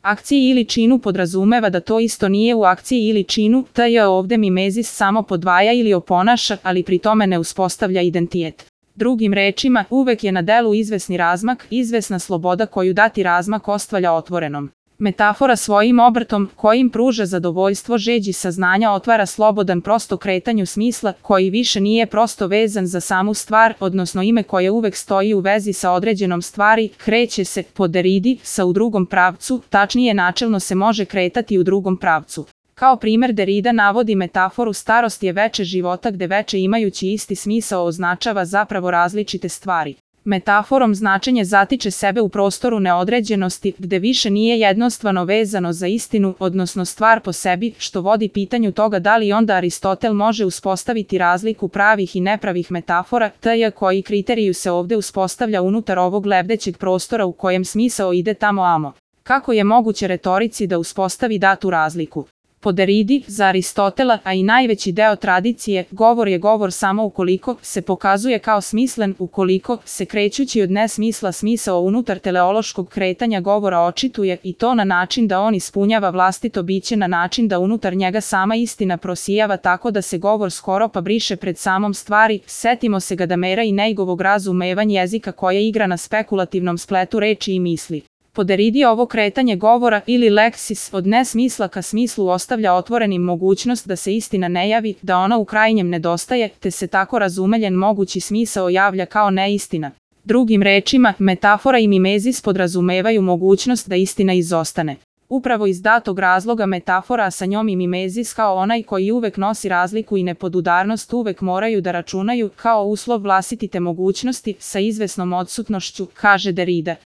Akciji ili činu podrazumeva da to isto nije u akciji ili činu, t.j. ovde mimezis samo podvaja ili oponaša, ali pri tome ne uspostavlja identitet. Drugim rečima, uvek je na delu izvesni razmak, izvesna sloboda koju dati razmak ostavlja otvorenom. Metafora svojim obrtom, kojim pruža zadovoljstvo žeđi saznanja, otvara slobodan prosto kretanju smisla, koji više nije prosto vezan za samu stvar, odnosno ime koje uvek stoji u vezi sa određenom stvari, kreće se, po Deridi, sa u drugom pravcu, tačnije načelno se može kretati u drugom pravcu. Kao primer Derida navodi metaforu starost je veče života gde veče imajući isti smisao označava zapravo različite stvari. Metaforom značenje zatiče sebe u prostoru neodređenosti, gde više nije jednostavno vezano za istinu, odnosno stvar po sebi, što vodi pitanju toga da li onda Aristotel može uspostaviti razliku pravih i nepravih metafora, t.j. koji kriteriju se ovde uspostavlja unutar ovog lebdećeg prostora u kojem smisao ide tamo amo. Kako je moguće retorici da uspostavi datu razliku? Po Deridi, za Aristotela, a i najveći deo tradicije, govor je govor samo ukoliko se pokazuje kao smislen, ukoliko se krećući od nesmisla smisao unutar teleološkog kretanja govora očituje i to na način da on ispunjava vlastito biće na način da unutar njega sama istina prosijava tako da se govor skoro pa briše pred samom stvari, setimo se Gadamera i Neigovog razumevanja jezika koje igra na spekulativnom spletu reči i misli. Po Deridi ovo kretanje govora ili leksis od nesmisla ka smislu ostavlja otvorenim mogućnost da se istina ne javi, da ona u krajnjem nedostaje, te se tako razumeljen mogući smisao javlja kao neistina. Drugim rečima, metafora i mimezis podrazumevaju mogućnost da istina izostane. Upravo iz datog razloga metafora, a sa njom i mimezis kao onaj koji uvek nosi razliku i nepodudarnost uvek moraju da računaju kao uslov vlastite mogućnosti sa izvesnom odsutnošću, kaže Derida.